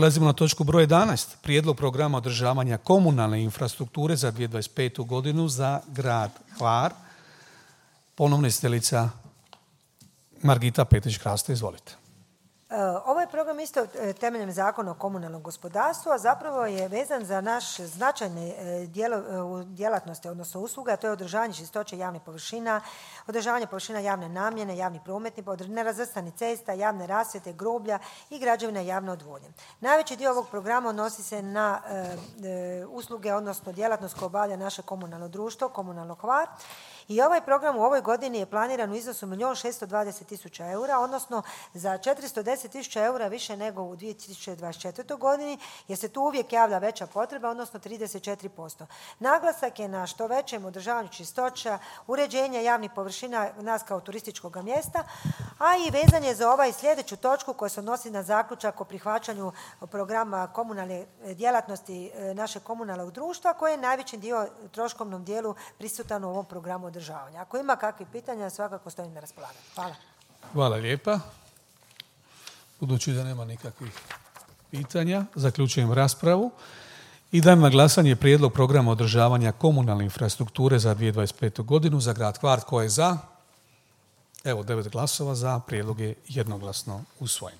Prelazimo na točku broj 11. Prijedlog programa održavanja komunalne infrastrukture za 2025. godinu za grad Hvar. Ponovno izvjestiteljica Margita Petrić-Kraste, izvolite. Ovaj program isto temeljem Zakona o komunalnom gospodarstvu, a zapravo je vezan za naš značajne djelatnosti, odnosno usluga, a to je održavanje čistoće javnih površina, održavanje površina javne namjene, javnih prometnih, nerazvrstanih cesta, javne rasvjete, groblja i građevina javne odvodnje. Najveći dio ovog programa odnosi se na usluge, odnosno djelatnost koju obavlja naše komunalno društvo, Komunalno Hvar. I ovaj program u ovoj godini je planiran u iznosu 1.620.000 eura, odnosno za 410.000 eura više nego u 2024. godini, jer se tu uvijek javlja veća potreba, odnosno 34%. Naglasak je na što većem održavanju čistoća, uređenja javnih površina nas kao turističkog mjesta, a i vezan je za ovaj sljedeću točku koja se odnosi na zaključak o prihvaćanju programa komunalne djelatnosti našeg komunalnog društva, koje je najvećim dio troškovnom dijelu prisutan u ovom programu održavanja. Ako ima kakvih pitanja, svakako stojim na raspolaganju. Hvala. Hvala lijepa. Budući da nema nikakvih pitanja, zaključujem raspravu i dajem na glasanje prijedlog programa održavanja komunalne infrastrukture za 2025. godinu za grad Hvar. Tko je za? Evo, 9 glasova za, prijedlog je jednoglasno usvojen.